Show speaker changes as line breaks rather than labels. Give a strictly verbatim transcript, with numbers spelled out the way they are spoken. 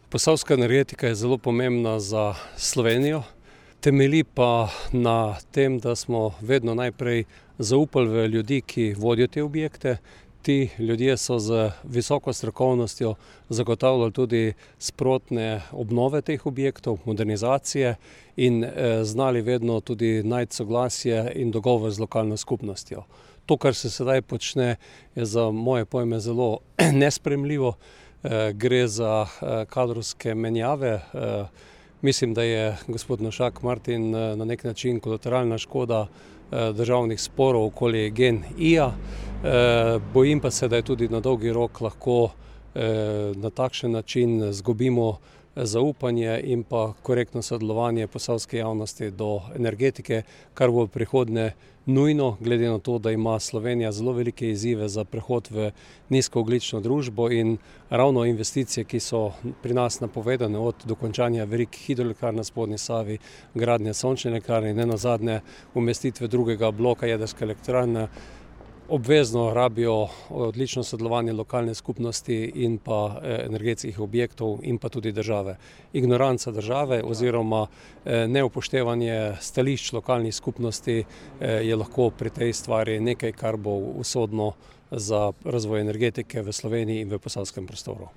Posavska energetika je zelo pomembna za Slovenijo, temelji pa na tem, da smo vedno najprej zaupali v ljudi, ki vodijo te objekte. Ti ljudje so z visoko strokovnostjo zagotavljali tudi sprotne obnove teh objektov, modernizacije in znali vedno tudi najti soglasje in dogovor z lokalno skupnostjo. To, kar se sedaj počne, je za moje pojme zelo nesprejemljivo. Gre za kadrovske menjave. Mislim, da je gospod Novšak Martin na nek način kolateralna škoda državnih sporov okoli GEN-I-ja. Bojim pa se, da je tudi na dolgi rok lahko na takšen način izgubimo zaupanje in pa korektno sodelovanje posavske javnosti do energetike, kar bo v prihodnje nujno, glede na to, da ima Slovenija zelo velike izzive za prehod v nizkoogljično družbo in ravno investicije, ki so pri nas napovedane, od dokončanja velikih hidroelektrarn na spodnji Savi, gradnje sončne elektrarne in nenazadnje umestitve drugega bloka jedrske elektrarne, obvezno rabijo odlično sodelovanje lokalne skupnosti in pa energetskih objektov in pa tudi države. Ignoranca države oziroma neupoštevanje stališč lokalnih skupnosti je lahko pri tej stvari nekaj, kar bo usodno za razvoj energetike v Sloveniji in v posavskem prostoru.